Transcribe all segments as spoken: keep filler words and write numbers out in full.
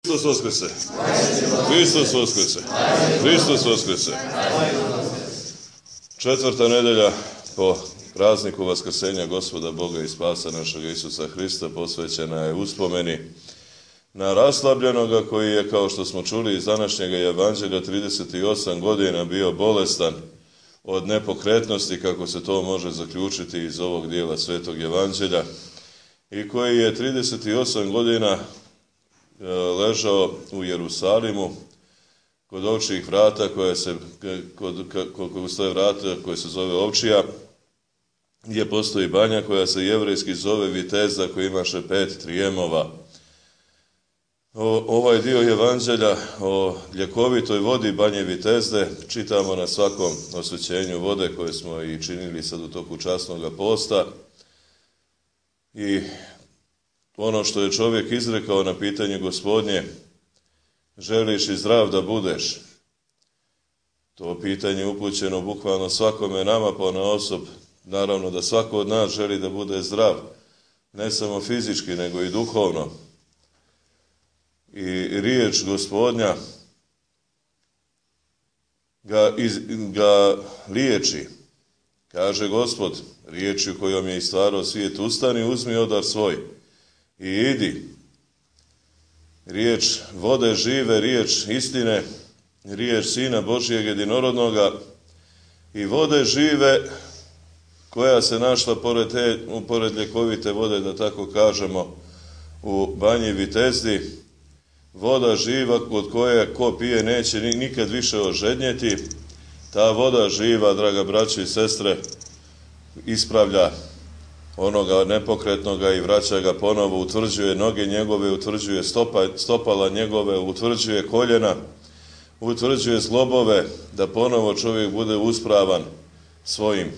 Hristos Voskrese! Hristos Voskrese! Hristos Voskrese! Četvrta nedelja po prazniku Vaskrsenja Gospoda Boga i Spasa našega Isusa Hrista posvećena je uspomeni na raslabljenoga koji je, kao što smo čuli iz današnjega evanđelja, trideset osam godina bio bolestan od nepokretnosti, kako se to može zaključiti iz ovog dijela Svetog evanđelja, i koji je trideset osam godina ležao u Jerusalimu kod ovčjih vrata koje se, kod, kod, kod stoje vrata koje se zove Ovčija, gdje postoji banja koja se jevrejski zove Vitezda, koja imaše pet trijemova. O, ovaj dio evanđelja o ljekovitoj vodi banje Vitezde čitamo na svakom osvećenju vode koje smo i činili sad u toku časnoga posta. I ono što je čovjek izrekao na pitanje Gospodnje, želiš i zdrav da budeš? To pitanje upućeno bukvalno svakome nama ponaosob. Naravno da svako od nas želi da bude zdrav, ne samo fizički, nego i duhovno. I riječ Gospodnja ga, iz, ga liječi. Kaže Gospod, riječju kojom je i stvarao svijet, ustani, uzmi odar svoj i idi. Riječ vode žive, riječ istine, riječ Sina Božijeg jedinorodnoga i vode žive koja se našla pored, te, pored ljekovite vode, da tako kažemo, u banji Vitezdi. Voda živa od koje ko pije neće nikad više ožednjeti. Ta voda živa, draga braće i sestre, ispravlja onoga nepokretnoga i vraća ga ponovo, utvrđuje noge njegove, utvrđuje stopa, stopala njegove, utvrđuje koljena, utvrđuje zglobove, da ponovo čovjek bude uspravan svojim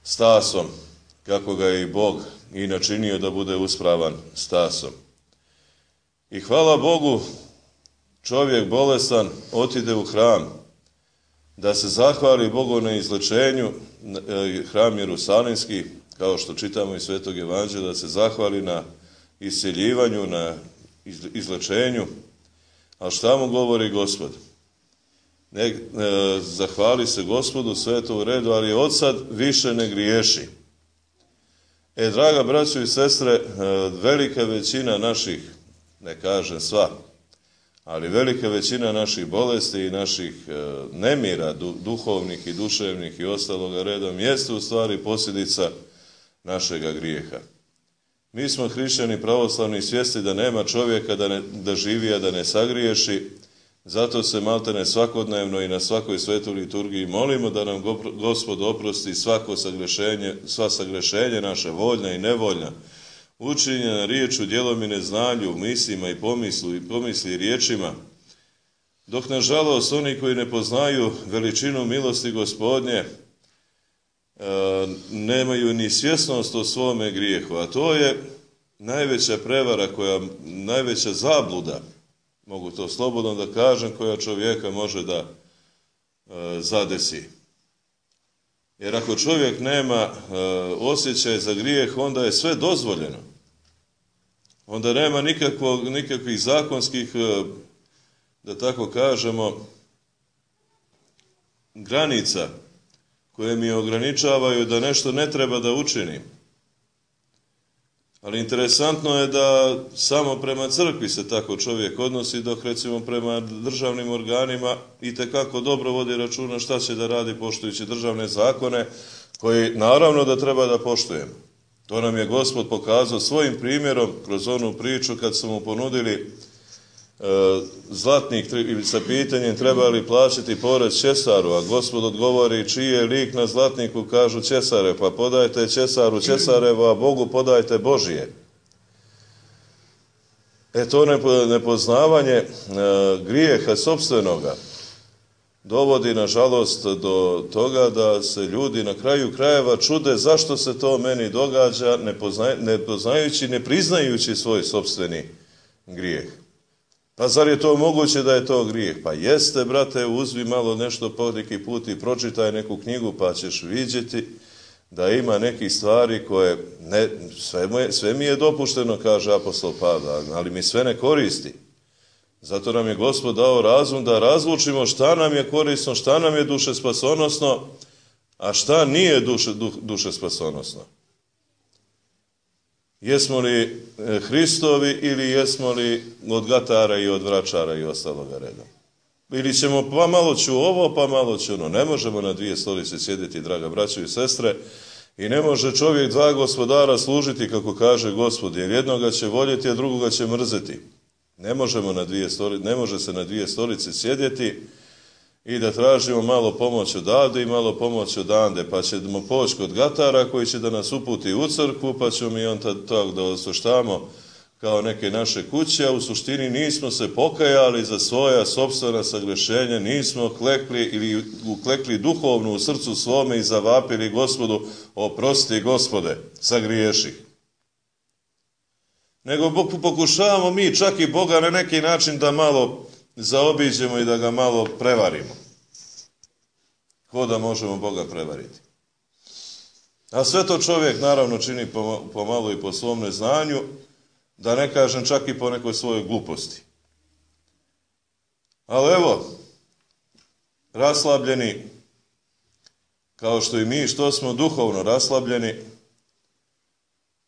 stasom, kako ga je i Bog i načinio da bude uspravan stasom. I hvala Bogu, čovjek bolestan otide u hram da se zahvali Bogu na izlečenju, hram Jerusalimski, kao što čitamo iz Svetog evanđelja, da se zahvali na isceljivanju, na izlečenju. A šta mu govori Gospod? Ne, e, zahvali se Gospodu, sve to u redu, ali od sad više ne griješi. E, draga braćo i sestre, e, velika većina naših, ne kažem sva, ali velika većina naših bolesti i naših e, nemira, du, duhovnih i duševnih i ostaloga redom, jeste u stvari posljedica našega grijeha. Mi smo hrišćani pravoslavni svjesni da nema čovjeka da, ne, da živi, a da ne sagriješi. Zato se maltene svakodnevno i na svakoj svetoj liturgiji molimo da nam Gospod oprosti svako sagrešenje, sva sagrešenje naše, voljna i nevoljna, učinjena riječu, djelom i neznanju, mislima i pomislu i pomisli i riječima. Dok nažalost oni koji ne poznaju veličinu milosti Gospodnje, E, nemaju ni svjesnost o svome grijehu, a to je najveća prevara, koja, najveća zabluda, mogu to slobodno da kažem, koja čovjeka može da e, zadesi. Jer ako čovjek nema e, osjećaj za grijeh, onda je sve dozvoljeno. Onda nema nikakvog, nikakvih zakonskih, e, da tako kažemo, granica koje mi ograničavaju da nešto ne treba da učinim. Ali interesantno je da samo prema crkvi se tako čovjek odnosi, dok recimo prema državnim organima itekako dobro vodi računa šta će da radi poštujući državne zakone, koji naravno da treba da poštujemo. To nam je Gospod pokazao svojim primjerom kroz onu priču kad su mu ponudili zlatnik sa pitanjem treba li plaćati porez Ćesaru, a Gospod odgovori čiji je lik na zlatniku, kažu Ćesare, pa podajte Ćesaru Ćesarevo, a Bogu podajte Božije. E to nepoznavanje grijeha sopstvenoga dovodi nažalost do toga da se ljudi na kraju krajeva čude zašto se to meni događa, ne, poznaj, ne poznajući, ne priznajući svoj sopstveni grijeh. Pa zar je to moguće da je to grijeh? Pa jeste, brate, uzmi malo nešto po neki put i pročitaj neku knjigu, pa ćeš vidjeti da ima nekih stvari koje, ne, sve, mu je, sve mi je dopušteno, kaže apostol Pavle, ali mi sve ne koristi. Zato nam je Gospod dao razum da razlučimo šta nam je korisno, šta nam je duše spasonosno, a šta nije duše, du, duše spasonosno. Jesmo li Hristovi ili jesmo li od gatara i od vračara i ostaloga reda? Ili ćemo pa malo ću ovo, pa malo ću ono. Ne možemo na dvije stolice sjediti, draga braćo i sestre, i ne može čovjek dva gospodara služiti, kako kaže Gospod, jer jednoga će voljeti, a drugoga će mrzeti. Ne možemo na dvije stolice, ne može se na dvije stolice sjediti i da tražimo malo pomoć odavde i malo pomoć odande, pa ćemo poći kod gatara koji će da nas uputi u crkvu, pa ćemo mi on tako da osvrštamo kao neke naše kuće, a u suštini nismo se pokajali za svoja sopstvena sagrešenja, nismo klekli ili uklekli duhovno u srcu svome i zavapili Gospodu, oprosti Gospode, sagriješih. Nego pokušavamo mi čak i Boga na neki način da malo zaobiđemo i da ga malo prevarimo. Ko da možemo Boga prevariti? A sve to čovjek naravno čini pomalo i po svom neznanju, da ne kažem čak i po nekoj svojoj gluposti. Ali evo, raslabljeni, kao što i mi, što smo duhovno raslabljeni,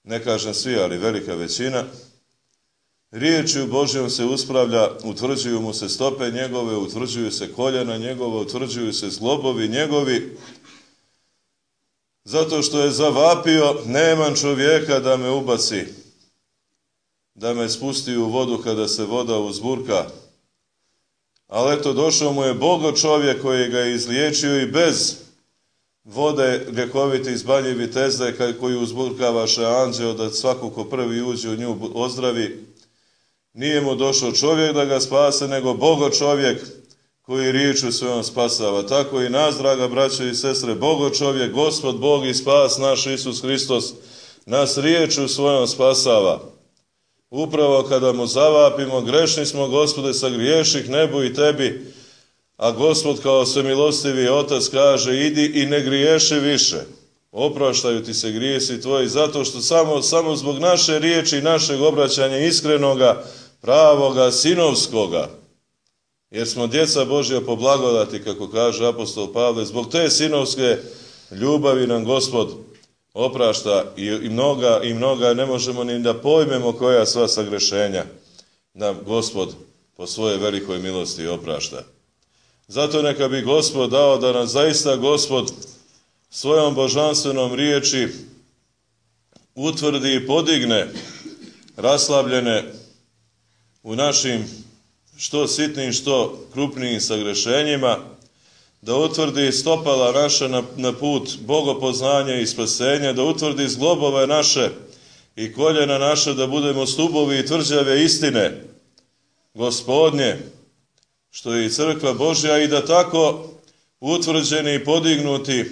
ne kažem svi, ali velika većina, riječju Božjom se uspravlja, utvrđuju mu se stope njegove, utvrđuju se koljena njegove, utvrđuju se zglobovi njegovi, zato što je zavapio, nemam čovjeka da me ubaci, da me spusti u vodu kada se voda uzburka. Ali eto, došao mu je Bogo čovjek koji ga je izliječio i bez vode ljekovite iz Banje Vitezde koju uzburkavaše anđeo da svako ko prvi uđe u nju ozdravi. Nije mu došao čovjek da ga spase, nego Bogo čovjek koji riječu svojom spasava. Tako i nas, draga braćo i sestre, Bogo čovjek, Gospod Bog i spas naš Isus Hristos, nas riječu svojom spasava. Upravo kada mu zavapimo, grešni smo, Gospode, sagriješih nebu i tebi, a Gospod kao svemilostivi Otac kaže, idi i ne griješi više. Opraštaju ti se grijesi tvoji, zato što samo, samo zbog naše riječi i našeg obraćanja iskrenoga, pravoga, sinovskoga, jer smo djeca Božja po blagodati, kako kaže apostol Pavle, zbog te sinovske ljubavi nam Gospod oprašta i, i mnoga, i mnoga ne možemo ni da pojmemo koja sva sagrešenja nam Gospod po svojoj velikoj milosti oprašta. Zato neka bi Gospod dao da nas zaista Gospod svojom božanstvenom riječi utvrdi i podigne raslabljene u našim što sitnim, što krupnijim sagrešenjima, da utvrdi stopala naše na, na put bogopoznanja i spasenja, da utvrdi zglobove naše i koljena naše, da budemo stubovi i tvrđave istine Gospodnje, što je i crkva Božja, i da tako utvrđeni i podignuti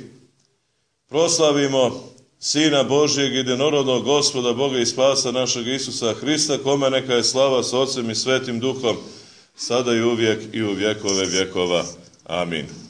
proslavimo Sina Božjeg, jedinorodnog Gospoda, Boga i spasa našeg Isusa Hrista, kome neka je slava s Otcem i Svetim Duhom, sada i uvijek i u vjekove vjekova. Amin.